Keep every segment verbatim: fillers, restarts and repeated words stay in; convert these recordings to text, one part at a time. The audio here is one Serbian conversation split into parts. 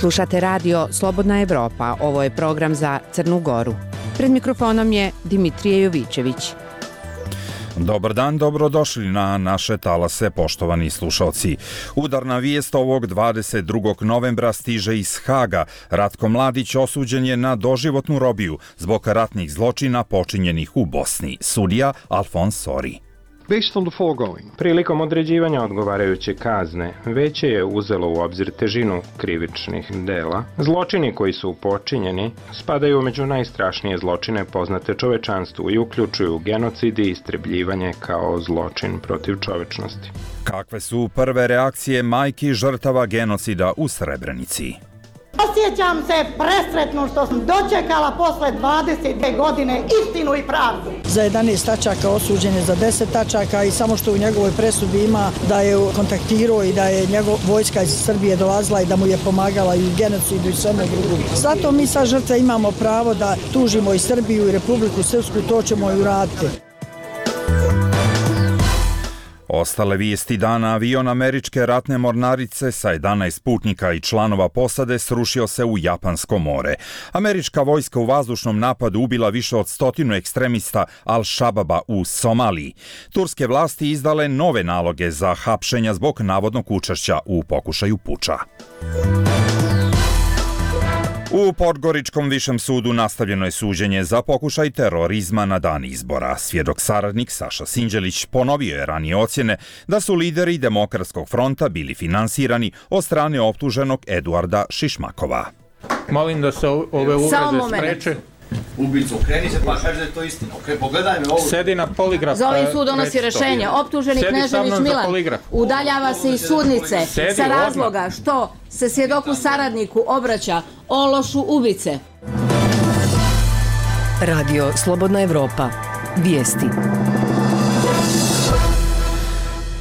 Slušate radio Slobodna Evropa, ovo je program za Crnu Goru. Pred mikrofonom je Dimitrije Jovićević. Dobar dan, dobrodošli na naše talase, poštovani slušalci. Udarna vijest ovog dvadeset drugog novembra stiže iz Haga. Ratko Mladić osuđen je na doživotnu robiju zbog ratnih zločina počinjenih u Bosni. Sudija Alfons Sori. Prilikom određivanja odgovarajuće kazne, veće je uzelo u obzir težinu krivičnih dela. Zločini koji su počinjeni spadaju među najstrašnije zločine poznate čovečanstvu i uključuju genocid i istrebljivanje kao zločin protiv čovečnosti. Kakve su prve reakcije majki žrtava genocida u Srebrenici? Osjećam se presretno što sam dočekala posle dvadeset dve godine istinu i pravdu. Za jedanaest tačaka osuđen je za deset tačaka i samo što u njegovoj presudi ima da je kontaktirao i da je njegov vojska iz Srbije dolazila i da mu je pomagala i u genocidu i svemu drugom. Zato mi sa žrtve imamo pravo da tužimo i Srbiju i Republiku Srpsku, to ćemo i uraditi. Ostale vijesti dana: avion američke ratne mornarice sa jedanaest putnika i članova posade srušio se u Japansko more. Američka vojska u vazdušnom napadu ubila više od stotinu ekstremista Al-Shababa u Somaliji. Turske vlasti izdale nove naloge za hapšenja zbog navodnog učešća u pokušaju puča. U Podgoričkom višem sudu nastavljeno je suđenje za pokušaj terorizma na dan izbora. Svjedok saradnik Saša Sinđelić ponovio je ranije ocjene da su lideri Demokratskog fronta bili finansirani od strane optuženog Eduarda Šišmakova. Molim da se ove uvrede spreče. Ubicu, okreni se pa kaži da je to istina. Okay, pogledaj me ovo. Sedi na poligraf. Za ovim sud donosi rešenje. Optuženi Knežević Milan udaljava se iz sudnice sa razloga što se svjedoku saradniku obraća o lošu ubice. Radio Slobodna Evropa. Vijesti.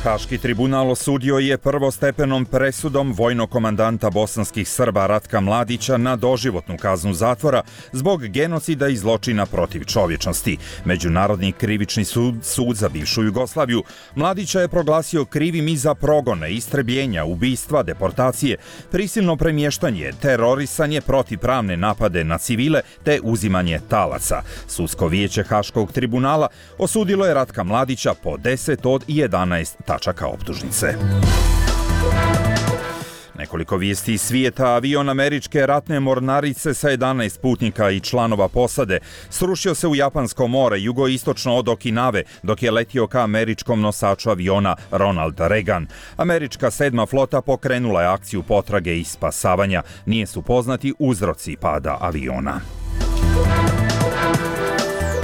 Haški tribunal osudio je prvostepenom presudom vojnog komandanta bosanskih Srba Ratka Mladića na doživotnu kaznu zatvora zbog genocida i zločina protiv čovječnosti. Međunarodni krivični sud, sud za bivšu Jugoslaviju, Mladića je proglasio krivim i za progone, istrebljenja, ubistva, deportacije, prisilno premještanje, terorisanje, protivpravne napade na civile te uzimanje talaca. Sudsko vijeće Haškog tribunala osudilo je Ratka Mladića po deset od jedanaest tačaka optužnice. Nekoliko vijesti iz svijeta. Avion američke ratne mornarice sa jedanaest putnika i članova posade srušio se u Japansko more jugoistočno od Okinave dok je letio ka američkom nosaču aviona Ronald Reagan. Američka sedma flota pokrenula je akciju potrage i spasavanja. Nije su poznati uzroci pada aviona.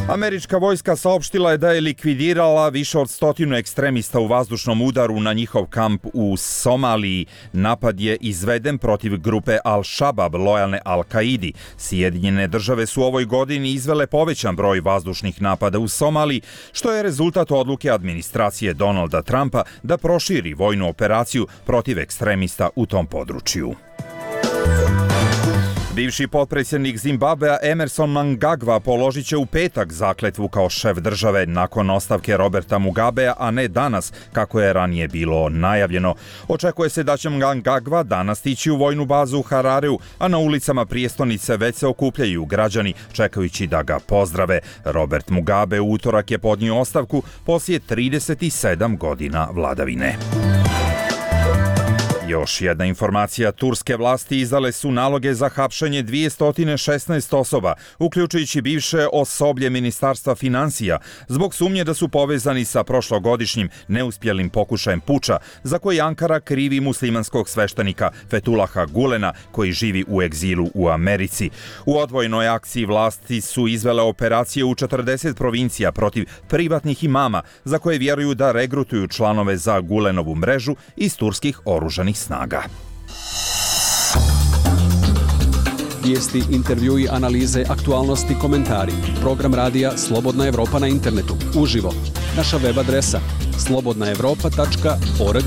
Američka vojska saopštila je da je likvidirala više od stotinu ekstremista u vazdušnom udaru na njihov kamp u Somaliji. Napad je izveden protiv grupe Al-Shabab, lojalne Al-Kaidi. Sjedinjene države su u ovoj godini izvele povećan broj vazdušnih napada u Somaliji, što je rezultat odluke administracije Donalda Trumpa da proširi vojnu operaciju protiv ekstremista u tom području. Bivši potpredsjednik Zimbabvea Emerson Mnangagwa položit će u petak zakletvu kao šef države nakon ostavke Roberta Mugabea, a ne danas, kako je ranije bilo najavljeno. Očekuje se da će Mnangagwa danas stići u vojnu bazu u Harareu, a na ulicama prijestolnice već se okupljaju građani čekajući da ga pozdrave. Robert Mugabe u utorak je podnio ostavku poslije trideset sedam godina vladavine. Još jedna informacija: turske vlasti izdale su naloge za hapšenje dvjesto šesnaest osoba, uključujući bivše osoblje Ministarstva financija, zbog sumnje da su povezani sa prošlogodišnjim neuspjelim pokušajem puča, za koji Ankara krivi muslimanskog sveštenika Fethulaha Gulena, koji živi u egzilu u Americi. U odvojenoj akciji vlasti su izvele operacije u četrdeset provincija protiv privatnih imama, za koje vjeruju da regrutuju članove za Gulenovu mrežu iz turskih oružanih snaga. Vijesti, intervjui, analize, aktualnosti, komentari. Program radija Slobodna Evropa na internetu. Uživo. Naša web adresa slobodna evropa tačka org.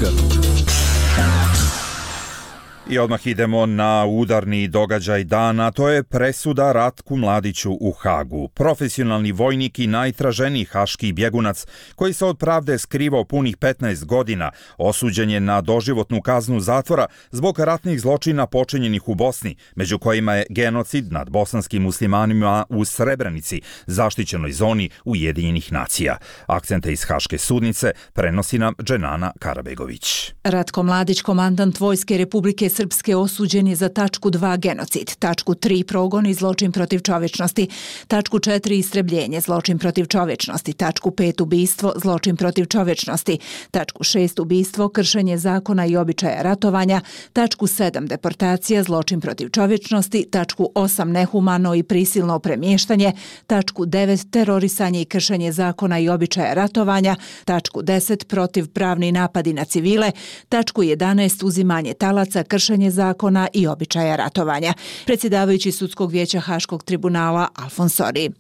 I odmah idemo na udarni događaj dana, to je presuda Ratku Mladiću u Hagu. Profesionalni vojnik i najtraženiji haški bjegunac, koji se od pravde skrivao punih petnaest godina, osuđen je na doživotnu kaznu zatvora zbog ratnih zločina počinjenih u Bosni, među kojima je genocid nad bosanskim muslimanima u Srebrenici, zaštićenoj zoni Ujedinjenih nacija. Akcente iz haške sudnice prenosi nam Dženana Karabegović. Ratko Mladić, komandant Vojske Republike Srpske, osuđen je za tačku dva genocid, tačku tri progon i zločin protiv čovječnosti, tačku četiri istrebljenje, zločin protiv čovječnosti, tačku pet ubistvo, zločin protiv čovječnosti, tačku šest ubistvo, kršenje zakona i običaja ratovanja, tačku sedam deportacija, zločin protiv čovječnosti, tačku osam nehumano i prisilno premještanje, tačku devet terorisanje i kršenje zakona i običaja ratovanja, tačku deset protiv pravni napadi na civile, tačku jedanaest uzimanje talaca, kršenje zakona i običaja ratovanja. Predsjedavajući sudskog vijeća Haškog tribunala Alfons Sori.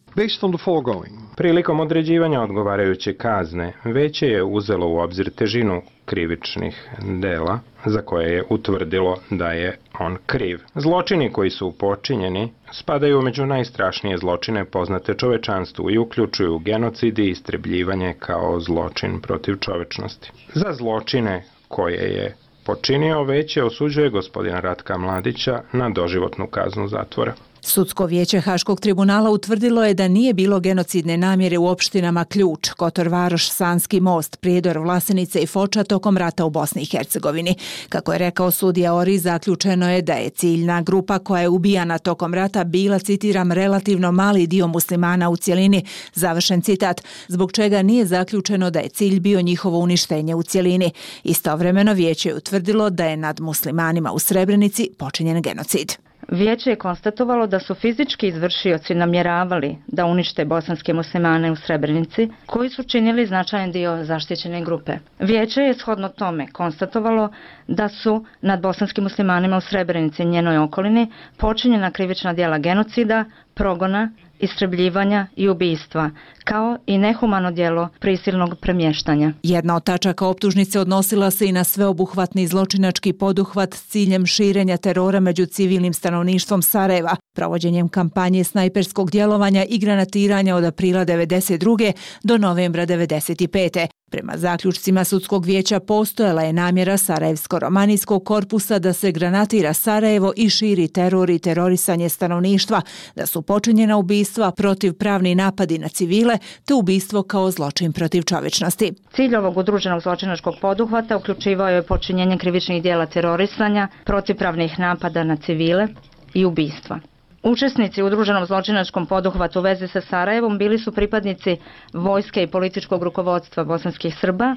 Prilikom određivanja odgovarajuće kazne, veće je uzelo u obzir težinu krivičnih dela za koje je utvrdilo da je on kriv. Zločini koji su počinjeni spadaju među najstrašnije zločine poznate čovečanstvu i uključuju genocid i istrebljivanje kao zločin protiv čovečnosti. Za zločine koje je počinio veće osuđuje gospodina Ratka Mladića na doživotnu kaznu zatvora. Sudsko vijeće Haškog tribunala utvrdilo je da nije bilo genocidne namjere u opštinama Ključ, Kotor Varoš, Sanski most, Prijedor, Vlasenica i Foča tokom rata u Bosni i Hercegovini. Kako je rekao sudija Ori, zaključeno je da je ciljna grupa koja je ubijana tokom rata bila, citiram, relativno mali dio muslimana u cjelini, završen citat, zbog čega nije zaključeno da je cilj bio njihovo uništenje u cjelini. Istovremeno vijeće je utvrdilo da je nad muslimanima u Srebrenici počinjen genocid. Vijeće je konstatovalo da su fizički izvršioci namjeravali da unište bosanske muslimane u Srebrenici, koji su činili značajan dio zaštićene grupe. Vijeće je shodno tome konstatovalo da su nad bosanskim muslimanima u Srebrenici i njenoj okolini počinjena krivična djela genocida, progona, istrebljivanja i ubistva, kao i nehumano djelo prisilnog premještanja. Jedna od tačaka optužnice odnosila se i na sveobuhvatni zločinački poduhvat s ciljem širenja terora među civilnim stanovništvom Sarajeva, provođenjem kampanje snajperskog djelovanja i granatiranja od aprila devedeset druge do novembra devedeset pete. Prema zaključcima sudskog vijeća postojala je namjera Sarajevsko-romanijskog korpusa da se granatira Sarajevo i širi teror i terorisanje stanovništva, da su počinjena ubistva, protivpravni napadi na civile te ubistvo kao zločin protiv čovječnosti. Cilj ovog udruženog zločinačkog poduhvata uključivao je počinjenje krivičnih djela terorisanja, protivpravnih napada na civile i ubistva. Učesnici u udruženom zločinačkom poduhvatu u vezi sa Sarajevom bili su pripadnici vojske i političkog rukovodstva bosanskih Srba.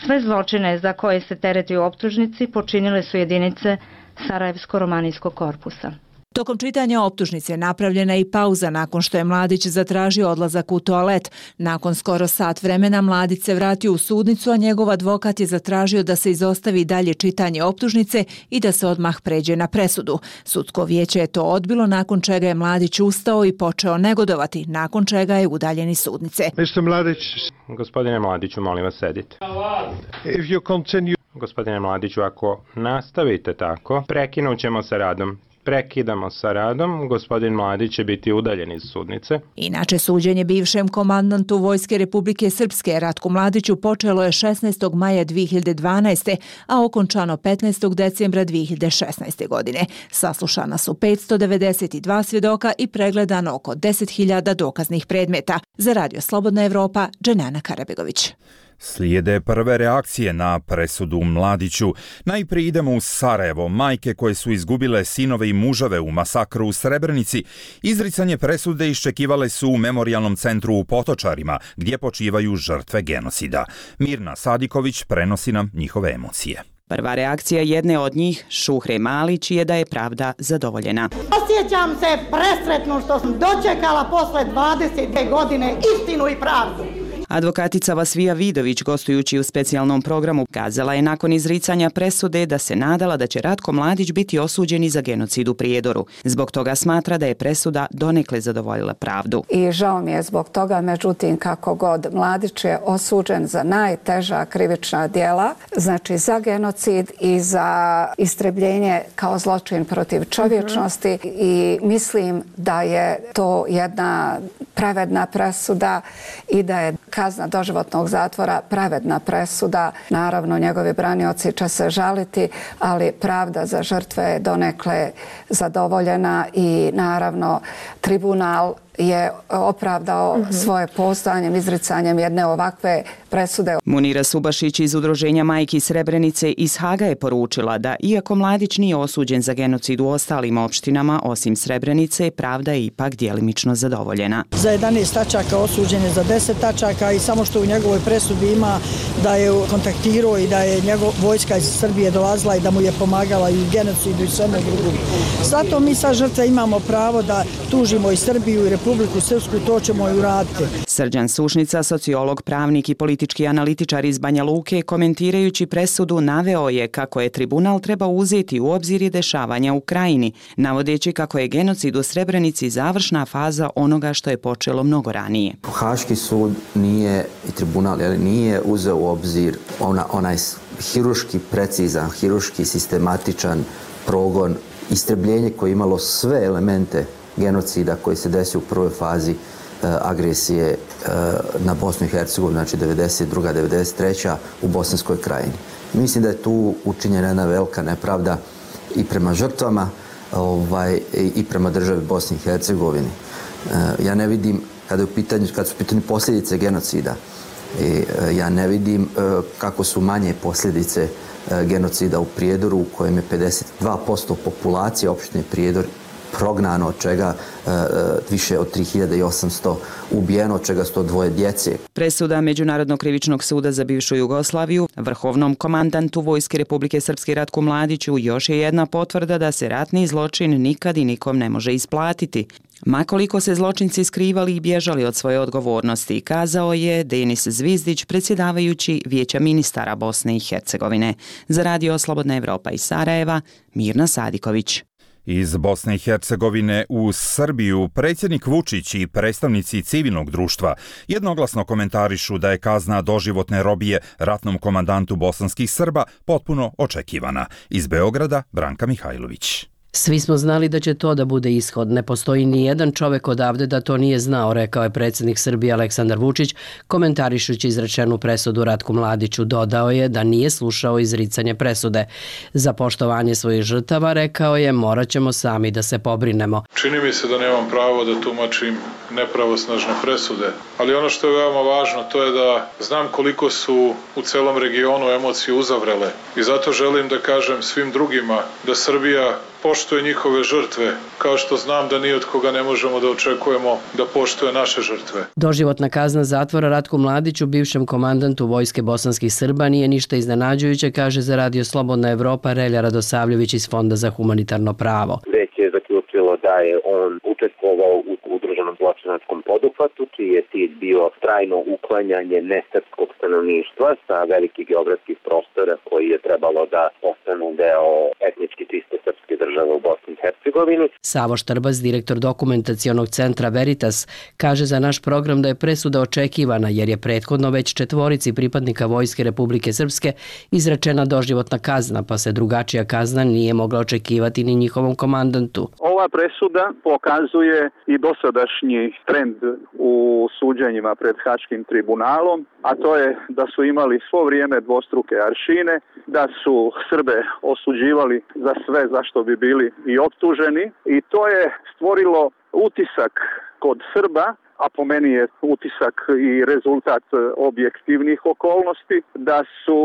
Sve zločine za koje se tereti u optužnici počinile su jedinice Sarajevsko-romanijskog korpusa. Tokom čitanja optužnice napravljena je i pauza nakon što je Mladić zatražio odlazak u toalet. Nakon skoro sat vremena Mladić se vratio u sudnicu, a njegov advokat je zatražio da se izostavi dalje čitanje optužnice i da se odmah pređe na presudu. Sudsko vijeće je to odbilo, nakon čega je Mladić ustao i počeo negodovati, nakon čega je udaljen iz sudnice. mister Mladić, gospodine Mladiću, molim vas sedite. If you continue... Gospodine Mladiću, ako nastavite tako, prekinut ćemo sa radom. Prekidamo sa radom, gospodin Mladić će biti udaljen iz sudnice. Inače, suđenje bivšem komandantu Vojske Republike Srpske Ratku Mladiću počelo je šesnaestog maja dvije hiljade dvanaeste. a okončano petnaestog decembra dvije hiljade šesnaeste. godine. Saslušana su petsto devedeset dva svjedoka i pregledano oko deset hiljada dokaznih predmeta. Za Radio Slobodna Evropa, Dženana Karabegović. Slijede prve reakcije na presudu Mladiću. Najprije idemo u Sarajevo. Majke koje su izgubile sinove i muževe u masakru u Srebrenici, izricanje presude iščekivale su u memorijalnom centru u Potočarima, gdje počivaju žrtve genocida. Mirna Sadiković prenosi nam njihove emocije. Prva reakcija jedne od njih, Šuhre Malić, je da je pravda zadovoljena. Osjećam se presretno što sam dočekala posle dvadeset dvije godine istinu i pravdu. Advokatica Vasvija Vidović, gostujući u specijalnom programu, kazala je nakon izricanja presude da se nadala da će Ratko Mladić biti osuđen i za genocid u Prijedoru. Zbog toga smatra da je presuda donekle zadovoljila pravdu. I žao mi je zbog toga, međutim, kako god, Mladić je osuđen za najteža krivična djela, znači za genocid i za istrebljenje kao zločin protiv čovječnosti mm-hmm. i mislim da je to jedna pravedna presuda i da je kazna doživotnog zatvora pravedna presuda. Naravno, njegovi branioci će se žaliti, ali pravda za žrtve je donekle zadovoljena i naravno tribunal je opravdao mm-hmm. svoje postojanjem, izricanjem jedne ovakve presude. Munira Subašić iz Udruženja Majki Srebrenice iz Haga je poručila da, iako Mladić nije osuđen za genocid u ostalim opštinama, osim Srebrenice, pravda je ipak djelimično zadovoljena. Za jedanaest tačaka osuđen je za deset tačaka i samo što u njegovoj presudi ima da je kontaktirao i da je njegov vojska iz Srbije dolazila i da mu je pomagala i u genocidu i svemu drugom. Zato mi sa žrtve imamo pravo da tužimo i Srbiju i Republiku Srpsku, to ćemo i uraditi. Srđan Sušnica, sociolog, pravnik i politički analitičar iz Banja Luke, komentirajući presudu, naveo je kako je tribunal treba uzeti u obzir i dešavanja u krajini, navodeći kako je genocid u Srebrenici završna faza onoga što je počelo mnogo ranije. Haški sud nije, i tribunal, ali nije uzeo u obzir ona, onaj hiruški precizan, hiruški sistematičan progon, istrebljenje koje je imalo sve elemente genocida koji se desio u prvoj fazi uh, agresije uh, na Bosnu i Hercegovinu, znači devedeset druga devedeset treća u Bosanskoj krajini. Mislim da je tu učinjena jedna velika nepravda i prema žrtvama ovaj, i prema državi Bosni i Hercegovini. Uh, ja ne vidim, kada, je u pitanju, kada su u pitanju posljedice genocida, i, uh, ja ne vidim uh, kako su manje posljedice uh, genocida u Prijedoru, u kojem je pedeset dva posto populacije opštine Prijedor prognano, od čega e, više od tri hiljade osamsto ubijeno, od čega sto dvoje djece. Presuda Međunarodnog krivičnog suda za bivšu Jugoslaviju vrhovnom komandantu Vojske Republike Srpske Ratku Mladiću još je jedna potvrda da se ratni zločin nikad i nikom ne može isplatiti. Makoliko se zločinci skrivali i bježali od svoje odgovornosti, kazao je Denis Zvizdić, predsjedavajući Vijeća ministara Bosne i Hercegovine. Za Radio Slobodna Evropa iz Sarajeva, Mirna Sadiković. Iz Bosne i Hercegovine u Srbiju predsjednik Vučić i predstavnici civilnog društva jednoglasno komentarišu da je kazna doživotne robije ratnom komandantu bosanskih Srba potpuno očekivana. Iz Beograda, Branka Mihajlović. Svi smo znali da će to da bude ishod. Ne postoji ni jedan čovek odavde da to nije znao, rekao je predsjednik Srbije Aleksandar Vučić, komentarišući izrečenu presudu Ratku Mladiću. Dodao je da nije slušao izricanje presude. Za poštovanje svojih žrtava, rekao je, morat ćemo sami da se pobrinemo. Čini mi se da nemam pravo da tumačim nepravosnažne presude, ali ono što je veoma važno to je da znam koliko su u celom regionu emocije uzavrele i zato želim da kažem svim drugima da Srbija poštuje njihove žrtve, kao što znam da ni od koga ne možemo da očekujemo da poštuje naše žrtve. Doživotna kazna zatvora Ratku Mladiću, bivšem komandantu Vojske bosanskih Srba, nije ništa iznenađujuće, kaže za Radio Slobodna Evropa Relja Radosavljević iz Fonda za humanitarno pravo. Već je zaključilo da je on učestvovao u udruženom zločinačkom poduhvatu, čiji je cilj bio trajno uklanjanje nesrpskog stanovništva sa velikih geografskih prostora koji je trebalo da postanu deo etnički čiste srpske države u Bosni i Hercegovini. Savo Štrbas, direktor dokumentacionog centra Veritas, kaže za naš program da je presuda očekivana jer je prethodno već četvorici pripadnika Vojske Republike Srpske izrečena doživotna kazna, pa se drugačija kazna nije mogla očekivati ni njihovom komandantu. Ova presuda pokazuje i dosadašnji trend u suđenjima pred Haškim tribunalom, a to je da su imali svo vrijeme dvostruke aršine, da su Srbe osuđivali za sve za što bi bili i optuženi i to je stvorilo utisak kod Srba, a po meni je utisak i rezultat objektivnih okolnosti, da su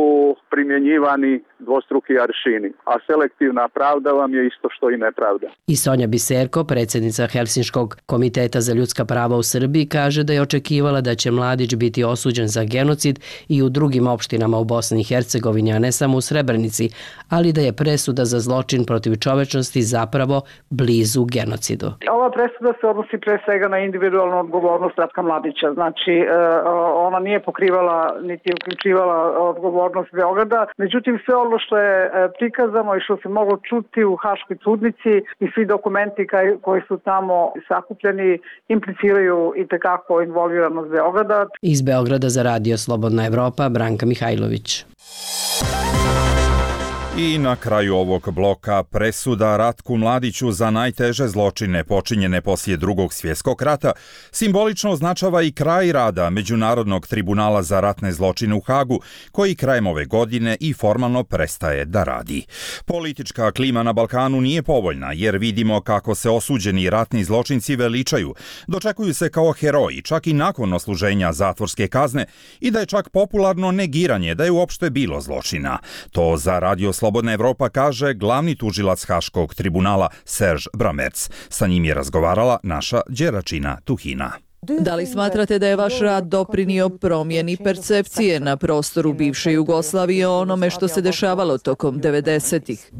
primjenjivani dvostruki aršini, a selektivna pravda vam je isto što i nepravda. I Sonja Biserko, predsjednica Helsinškog komiteta za ljudska prava u Srbiji, kaže da je očekivala da će Mladić biti osuđen za genocid i u drugim opštinama u Bosni i Hercegovini, a ne samo u Srebrenici, ali da je presuda za zločin protiv čovečnosti zapravo blizu genocidu. Ova presuda se odnosi pre svega na individualnu odgovornost odgovornost Ratka Mladića. Znači, ona nije pokrivala niti uključivala odgovornost Beograda. Međutim, sve ono što je prikazano i što se moglo čuti u Haškoj sudnici i svi dokumenti koji su tamo sakupljeni impliciraju i tekako involviranost Beograda. Iz Beograda za Radio Slobodna Evropa, Branka Mihajlović. I na kraju ovog bloka presuda Ratku Mladiću za najteže zločine počinjene poslije Drugog svjetskog rata simbolično označava i kraj rada Međunarodnog tribunala za ratne zločine u Hagu, koji krajem ove godine i formalno prestaje da radi. Politička klima na Balkanu nije povoljna, jer vidimo kako se osuđeni ratni zločinci veličaju, dočekuju se kao heroji čak i nakon osluženja zatvorske kazne i da je čak popularno negiranje da je uopšte bilo zločina. To za Radio Slobodna Evropa kaže glavni tužilac Haškog tribunala Serge Bramertz. Sa njim je razgovarala naša Đeračina Tuhina. Da li smatrate da je vaš rad doprinio promjeni percepcije na prostoru bivše Jugoslavije o onome što se dešavalo tokom devedesetih?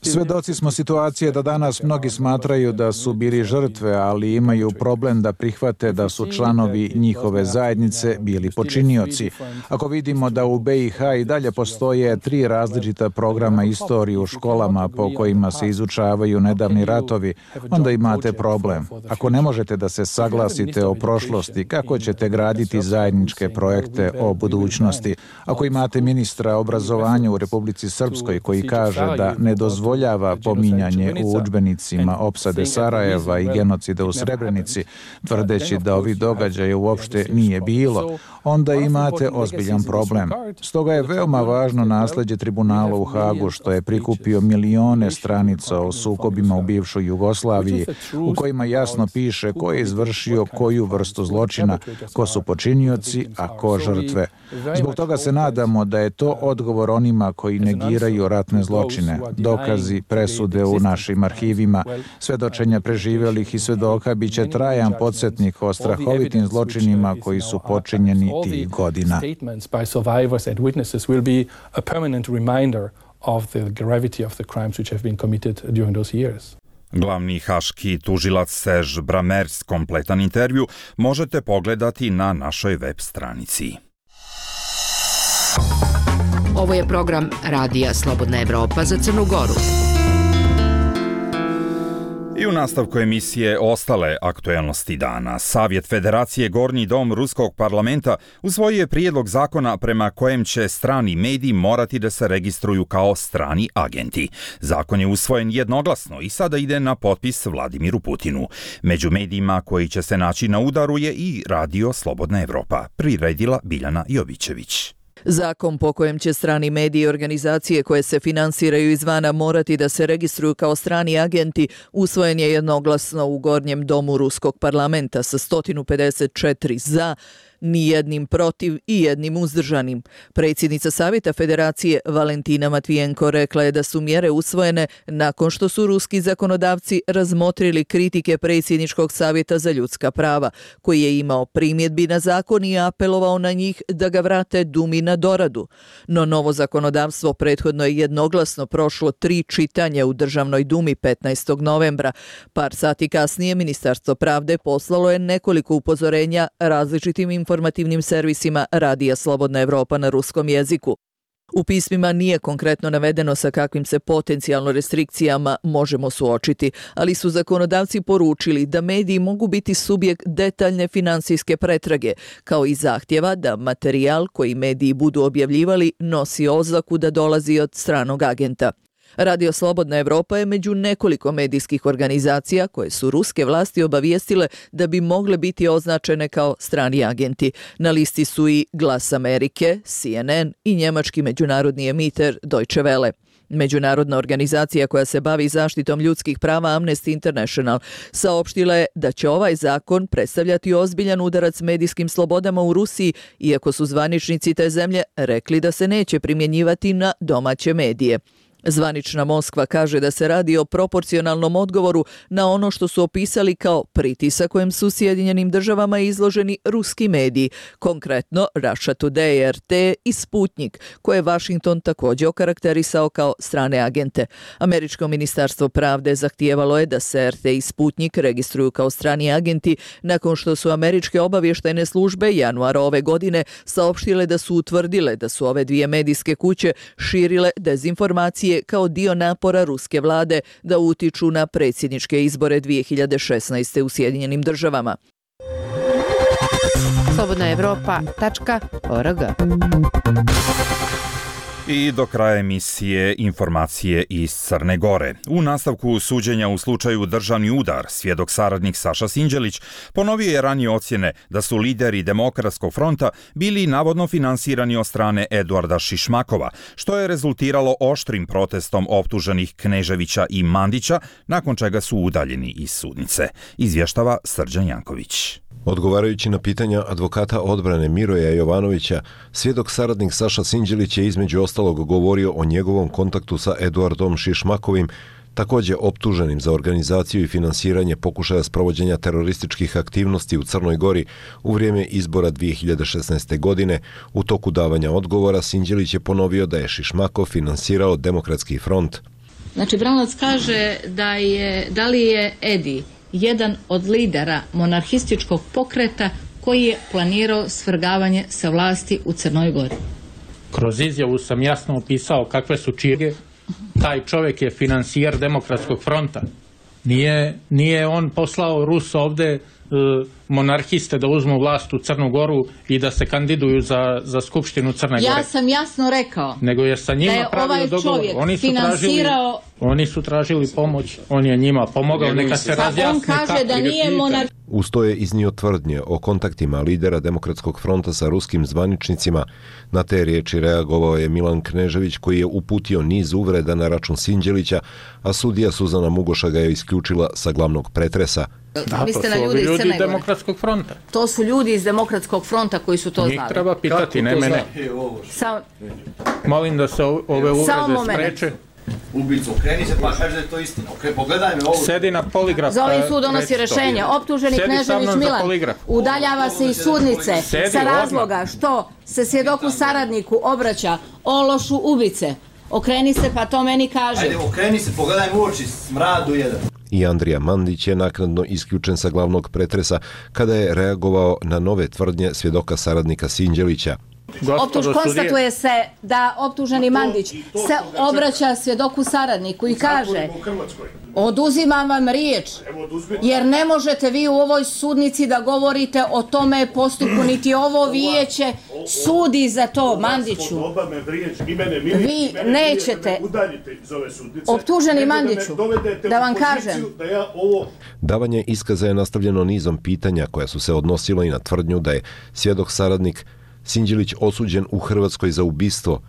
Svedoci smo situacije da danas mnogi smatraju da su bili žrtve, ali imaju problem da prihvate da su članovi njihove zajednice bili počinioci. Ako vidimo da u B i H i dalje postoje tri različita programa istorije u školama po kojima se izučavaju nedavni ratovi, onda imate problem. Ako ne možete da se saglasite o prošlosti, kako ćete graditi zajedničke projekte o budućnosti? Ako imate ministra obrazovanja u Republici Srpskoj koji kaže da ne dozvoljava pominjanje u udžbenicima opsade Sarajeva i genocida u Srebrenici, tvrdeći da ovi događaje uopšte nije bilo, onda imate ozbiljan problem. Stoga je veoma važno nasleđe tribunala u Hagu, što je prikupio milione stranica o sukobima u bivšoj Jugoslaviji, u kojima jasno piše ko je izvršio koju vrstu zločina, ko su počinioci, a ko žrtve. Zbog toga se nadamo da je to odgovor onima koji negiraju ratne zločine, dokazi, presude u našim arhivima, svedočenja preživjelih i svedoka bit će trajan podsjetnik o strahovitim zločinima koji su počinjeni tih godina. Glavni haški tužilac Serge Bramertz, kompletan intervju možete pogledati na našoj web stranici. Ovo je program Radija Slobodna Evropa za Crnu Goru. I u nastavku emisije ostale aktuelnosti dana. Savjet Federacije Gornji dom Ruskog parlamenta usvojio je prijedlog zakona prema kojem će strani mediji morati da se registruju kao strani agenti. Zakon je usvojen jednoglasno i sada ide na potpis Vladimiru Putinu. Među medijima koji će se naći na udaru je i Radio Slobodna Evropa, priredila Biljana Jovićević. Zakon po kojem će strani mediji i organizacije koje se finansiraju izvana morati da se registruju kao strani agenti usvojen je jednoglasno u Gornjem domu Ruskog parlamenta sa sto pedeset četiri za, ni jednim protiv i jednim uzdržanim. Predsjednica Savjeta Federacije Valentina Matvijenko rekla je da su mjere usvojene nakon što su ruski zakonodavci razmotrili kritike Predsjedničkog savjeta za ljudska prava, koji je imao primjedbi na zakon i apelovao na njih da ga vrate Dumi na doradu. No novo zakonodavstvo prethodno je jednoglasno prošlo tri čitanja u Državnoj Dumi petnaestog novembra. Par sati kasnije Ministarstvo pravde poslalo je nekoliko upozorenja različitim informativnim servisima Radija Slobodna Evropa na ruskom jeziku. U pismima nije konkretno navedeno sa kakvim se potencijalno restrikcijama možemo suočiti, ali su zakonodavci poručili da mediji mogu biti subjekt detaljne finansijske pretrage, kao i zahtjeva da materijal koji mediji budu objavljivali nosi oznaku da dolazi od stranog agenta. Radio Slobodna Evropa je među nekoliko medijskih organizacija koje su ruske vlasti obavijestile da bi mogle biti označene kao strani agenti. Na listi su i Glas Amerike, C N N i njemački međunarodni emiter Deutsche Welle. Međunarodna organizacija koja se bavi zaštitom ljudskih prava Amnesty International saopštila je da će ovaj zakon predstavljati ozbiljan udarac medijskim slobodama u Rusiji, iako su zvaničnici te zemlje rekli da se neće primjenjivati na domaće medije. Zvanična Moskva kaže da se radi o proporcionalnom odgovoru na ono što su opisali kao pritisak kojem su Sjedinjenim državama izloženi ruski mediji, konkretno Russia Today, R T i Sputnik, koje je Washington također okarakterisao kao strane agente. Američko ministarstvo pravde zahtijevalo je da se R T i Sputnik registruju kao strani agenti nakon što su američke obavještajne službe januara ove godine saopštile da su utvrdile da su ove dvije medijske kuće širile dezinformacije kao dio napora ruske vlade da utiču na predsjedničke izbore dvije hiljade šesnaeste. u Sjedinjenim državama. slobodna evropa tačka org. I do kraja emisije informacije iz Crne Gore. U nastavku suđenja u slučaju državni udar, svjedok saradnik Saša Sinđelić ponovio je ranije ocjene da su lideri Demokratskog fronta bili navodno finansirani od strane Eduarda Šišmakova, što je rezultiralo oštrim protestom optuženih Kneževića i Mandića, nakon čega su udaljeni iz sudnice. Izvještava Srđan Janković. Odgovarajući na pitanja advokata odbrane Miroja Jovanovića, svjedok saradnik Saša Sinđelić je između ostalog govorio o njegovom kontaktu sa Eduardom Šišmakovim, također optuženim za organizaciju i finansiranje pokušaja sprovođenja terorističkih aktivnosti u Crnoj Gori u vrijeme izbora dvije hiljade šesnaeste. godine. U toku davanja odgovora Sinđelić je ponovio da je Šišmakov finansirao Demokratski front. Znači, Branac kaže da, je, da li je Edi jedan od lidera monarhističkog pokreta koji je planirao svrgavanje sa vlasti u Crnoj Gori. Kroz izjavu sam jasno opisao kakve su čirge. Taj čovjek je finansijer Demokratskog fronta. Nije, nije on poslao Rus ovde e, monarhiste da uzmu vlast u Crnu Goru i da se kandiduju za, za Skupštinu Crne Gore. Ja sam jasno rekao Nego je sa njima da je ovaj čovjek Oni su finansirao... Tražili, oni su tražili pomoć, on je njima pomogao, neka se razjasne. On kaže da nije monar... Uz to je iznio tvrdnje o kontaktima lidera Demokratskog fronta sa ruskim zvaničnicima. Na te riječi reagovao je Milan Knežević, koji je uputio niz uvreda na račun Sinđelića, a sudija Suzana Mugoša ga je isključila sa glavnog pretresa. Da, to su ljudi, ljudi iz Demokratskog fronta. To su ljudi iz Demokratskog fronta koji su to Njih znali. Njih treba pitati, ne mene. Sam... Molim da se ove uvrede spreče. Ubicu, okreni se pa kaži da je to istina. Okay, pogledaj me ovo. Sedi na poligraf. Za ovim sud donosi rješenje. Optuženi Knežević Milan udaljava se iz sudnice Sedi, sa razloga odmah. Što se svjedoku saradniku obraća o lošu ubice. Okreni se pa to meni kaže. Ajde, okreni se, pogledaj u oči, smradu jedan. I Andrija Mandić je naknadno isključen sa glavnog pretresa kada je reagovao na nove tvrdnje svjedoka saradnika Sinđelića. Optuž, konstatuje se da optuženi Mandić se obraća svjedoku saradniku i kaže: oduzimam vam riječ, jer ne možete vi u ovoj sudnici da govorite o tome postupku, niti ovo vijeće sudi za to, Mandiću. Vi nećete, optuženi Mandiću, da vam kažem. Davanje iskaza je nastavljeno nizom pitanja koja su se odnosila i na tvrdnju da je svjedok saradnik Sinđelić osuđen u Hrvatskoj za ubistvo.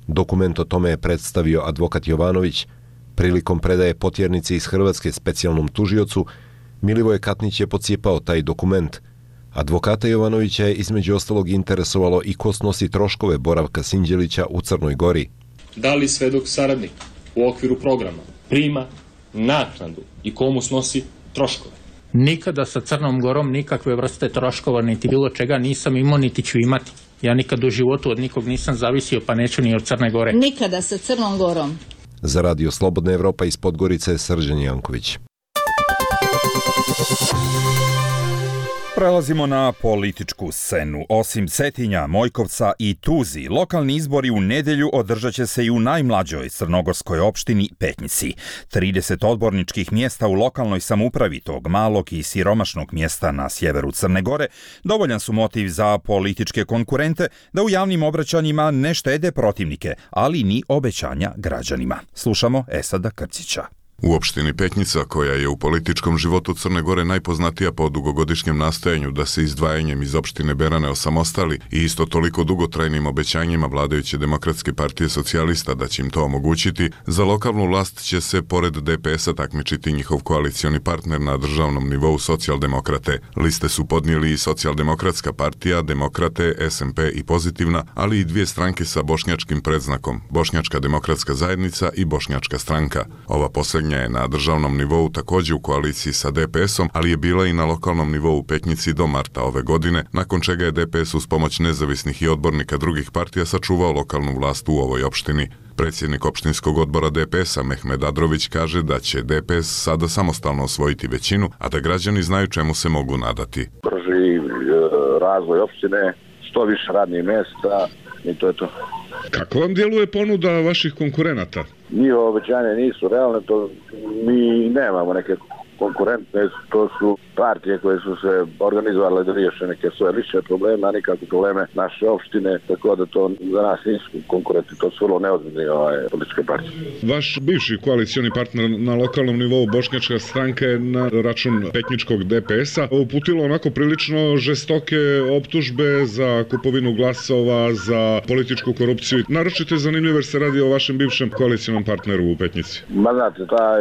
Dokument o tome je predstavio advokat Jovanović. Prilikom predaje potjernice iz Hrvatske specijalnom tužiocu, Milivoje Katnić je pocijepao taj dokument. Advokata Jovanovića je između ostalog interesovalo i ko snosi troškove boravka Sinđelića u Crnoj Gori. Da li svedok saradnik u okviru programa prima naknadu i komu snosi troškove? Nikada sa Crnom Gorom nikakve vrste troškova niti bilo čega nisam imao niti ću imati. Ja nikad u životu od nikog nisam zavisio, pa neću ni od Crne Gore. Nikada sa Crnom Gorom. Za Radio Slobodna Evropa iz Podgorice, Srđan Janković. Prelazimo na političku scenu. Osim Cetinja, Mojkovca i Tuzi, lokalni izbori u nedelju održat će se i u najmlađoj crnogorskoj opštini Petnici. trideset odborničkih mjesta u lokalnoj samoupravi tog malog i siromašnog mjesta na sjeveru Crne Gore dovoljan su motiv za političke konkurente da u javnim obraćanjima ne štede protivnike, ali ni obećanja građanima. Slušamo Esada Krcića. U opštini Petnica, koja je u političkom životu Crne Gore najpoznatija po dugogodišnjem nastojanju da se izdvajanjem iz opštine Berane osamostali i isto toliko dugotrajnim obećanjima vladajuće Demokratske partije socijalista da će im to omogućiti, za lokalnu vlast će se pored D P S-a takmičiti njihov koalicioni partner na državnom nivou Socijaldemokrate. Liste su podnijeli i Socijaldemokratska partija, Demokrate, S M P i Pozitivna, ali i dvije stranke sa bošnjačkim predznakom, Bošnjačka demokratska zajednica i Bošnjačka stranka. Ova posljednja je na državnom nivou također u koaliciji sa D P S-om, ali je bila i na lokalnom nivou u Petnici do marta ove godine, nakon čega je D P S uz pomoć nezavisnih i odbornika drugih partija sačuvao lokalnu vlast u ovoj opštini. Predsjednik opštinskog odbora D P S-a Mehmed Adrović kaže da će D P S sada samostalno osvojiti većinu, a da građani znaju čemu se mogu nadati. Brži razvoj opštine, što više radnih mjesta i to je to. Kako vam djeluje ponuda vaših konkurenata? Njihove obećanja nisu realne, to mi nemamo neke konkurentne, to su partije koje su se organizovale da riješe neke svoje lične probleme, a nikakve probleme naše opštine, tako da to za nas nisu konkurenti, to su vrlo neozbiljne ovaj, političke partije. Vaš bivši koalicioni partner na lokalnom nivou Bošnjačka stranka je na račun petničkog D P S-a uputilo onako prilično žestoke optužbe za kupovinu glasova, za političku korupciju. Naročito je zanimljivo jer se radi o vašem bivšem koalicijonom partneru u Petnici. Ma znate, ta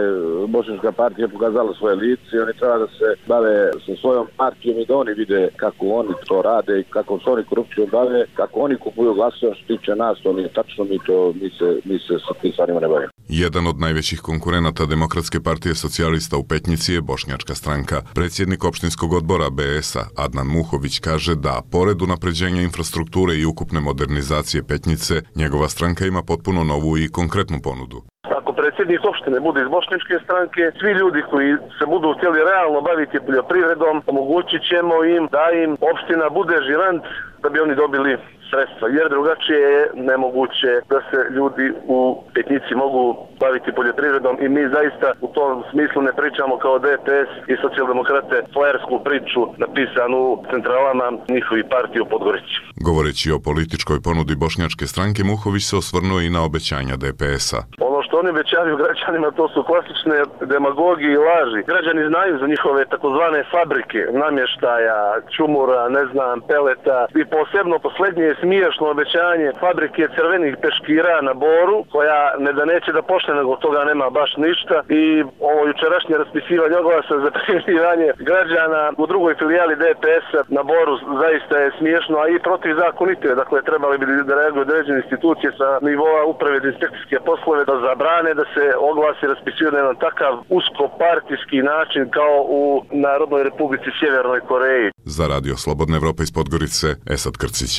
Bošnjačka partija je pokazala svoje lice i oni treba da se bave sa svojom partijom i da oni vide kako oni to rade i kako se oni korupcijom bave, kako oni kupuju glasova. Što tiče nas, to nije tačno, mi, to, mi, se, mi se sa tim stvarima ne bavimo. Jedan od najvećih konkurenata Demokratske partije socijalista u Petnici je Bošnjačka stranka. Predsjednik opštinskog odbora B S-a Adnan Muhović kaže da, pored unapređenja infrastrukture i ukupne modernizacije Petnice, njegova stranka ima potpuno novu i konkretnu ponudu. Ako predsjednik opštine bude iz Bošnjačke stranke, svi ljudi koji se budu htjeli realno baviti poljoprivredom, omogućit ćemo im da im opština bude žirant da bi oni dobili sredstva, jer drugačije je nemoguće da se ljudi u Petnici mogu baviti poljoprivredom i mi zaista u tom smislu ne pričamo kao D P S i socijaldemokrate flajersku priču napisanu u centralama njihovi partije u Podgorici. Govoreći o političkoj ponudi Bošnjačke stranke, Muhović se osvrnuo i na obećanja D P S-a. Ono što oni obećavaju građanima, to su klasične demagogije i laži. Građani znaju za njihove takozvane fabrike, namještaja, čumura, ne znam, peleta i posebno posljednje je smiješno obećanje fabrike crvenih peškira na Boru, koja ne da neće da počne, nego od toga nema baš ništa. I ovo jučerašnje raspisivanje oglasa za prijavljivanje građana u drugoj filijali D P S-a na Boru zaista je smiješno, a i protivzakonito je. Dakle, trebali bi da reaguju određene institucije sa nivoa uprave za inspekcijske poslove da zabrane da se oglasi raspisuju na jedan takav uskopartijski način kao u Narodnoj Republici Sjevernoj Koreji. Za Radio Slobodna Evropa iz Podgorice, Esad Krcić.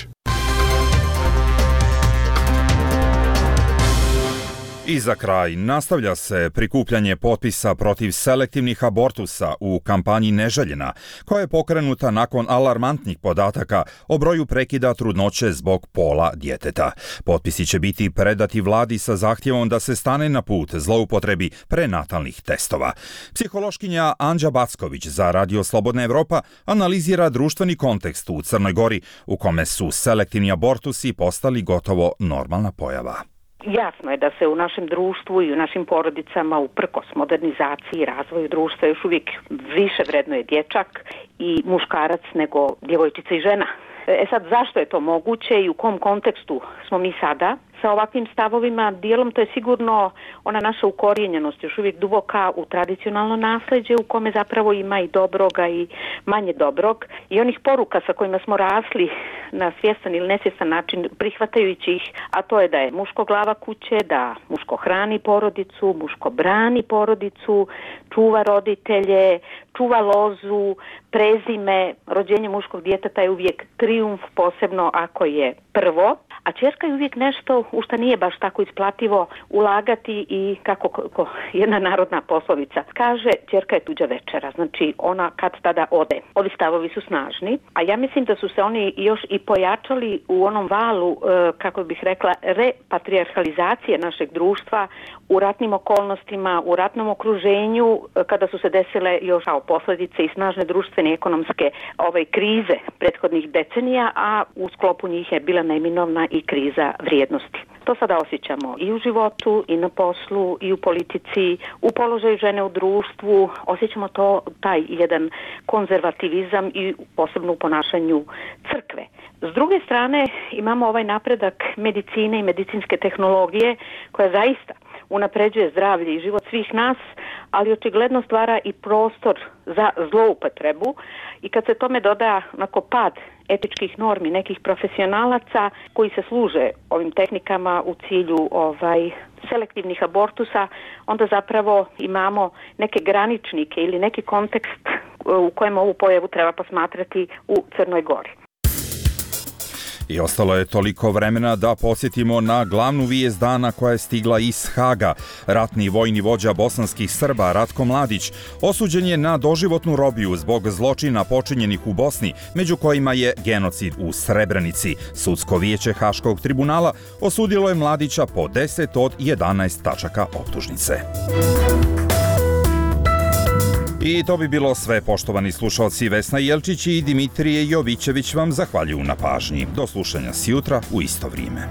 I za kraj, nastavlja se prikupljanje potpisa protiv selektivnih abortusa u kampanji Neželjena, koja je pokrenuta nakon alarmantnih podataka o broju prekida trudnoće zbog pola djeteta. Potpisi će biti predati vladi sa zahtjevom da se stane na put zloupotrebi prenatalnih testova. Psihološkinja Anđa Backović za Radio Slobodna Evropa analizira društveni kontekst u Crnoj Gori u kome su selektivni abortusi postali gotovo normalna pojava. Jasno je da se u našem društvu i u našim porodicama uprkos modernizaciji i razvoju društva još uvijek više vrednuje dječak i muškarac nego djevojčica i žena. E sad, zašto je to moguće i u kom kontekstu smo mi sada sa ovakvim stavovima? Dijelom to je sigurno ona naša ukorijenjenost još uvijek duboka u tradicionalno nasljeđe u kome zapravo ima i dobroga i manje dobrog i onih poruka sa kojima smo rasli na svjestan ili nesvjestan način prihvatajući ih, a to je da je muško glava kuće, da muško hrani porodicu, muško brani porodicu, čuva roditelje, čuva lozu, prezime. Rođenje muškog djeteta je uvijek trijumf, posebno ako je prvo, a ćerka je uvijek nešto u što nije baš tako isplativo ulagati i kako ko, jedna narodna poslovica kaže, ćerka je tuđa večera, znači ona kad tada ode. Ovi stavovi su snažni, a ja mislim da su se oni još i pojačali u onom valu, kako bih rekla, repatrijarhalizacije našeg društva u ratnim okolnostima, u ratnom okruženju, kada su se desile još kao posljedice i snažne društvene i ekonomske ove, krize prethodnih decenija, a u sklopu njih je bila neminovna i kriza vrijednosti. To sada osjećamo i u životu, i na poslu, i u politici, u položaju žene u društvu. Osjećamo to, taj jedan konzervativizam i posebno u ponašanju crkve. S druge strane, imamo ovaj napredak medicine i medicinske tehnologije koja zaista unapređuje zdravlje i život svih nas, ali očigledno stvara i prostor za zloupotrebu i kad se tome doda onako pad etičkih normi nekih profesionalaca koji se služe ovim tehnikama u cilju ovaj selektivnih abortusa, onda zapravo imamo neke graničnike ili neki kontekst u kojem ovu pojavu treba posmatrati u Crnoj Gori. I ostalo je toliko vremena da podsjetimo na glavnu vijest dana koja je stigla iz Haga. Ratni vojni vođa bosanskih Srba Ratko Mladić osuđen je na doživotnu robiju zbog zločina počinjenih u Bosni, među kojima je genocid u Srebrenici. Sudsko vijeće Haškog tribunala osudilo je Mladića po deset od jedanaest tačaka optužnice. I to bi bilo sve, poštovani slušalci. Vesna Jelčić i Dimitrije Jovićević vam zahvaljuju na pažnji. Do slušanja sjutra u isto vrijeme.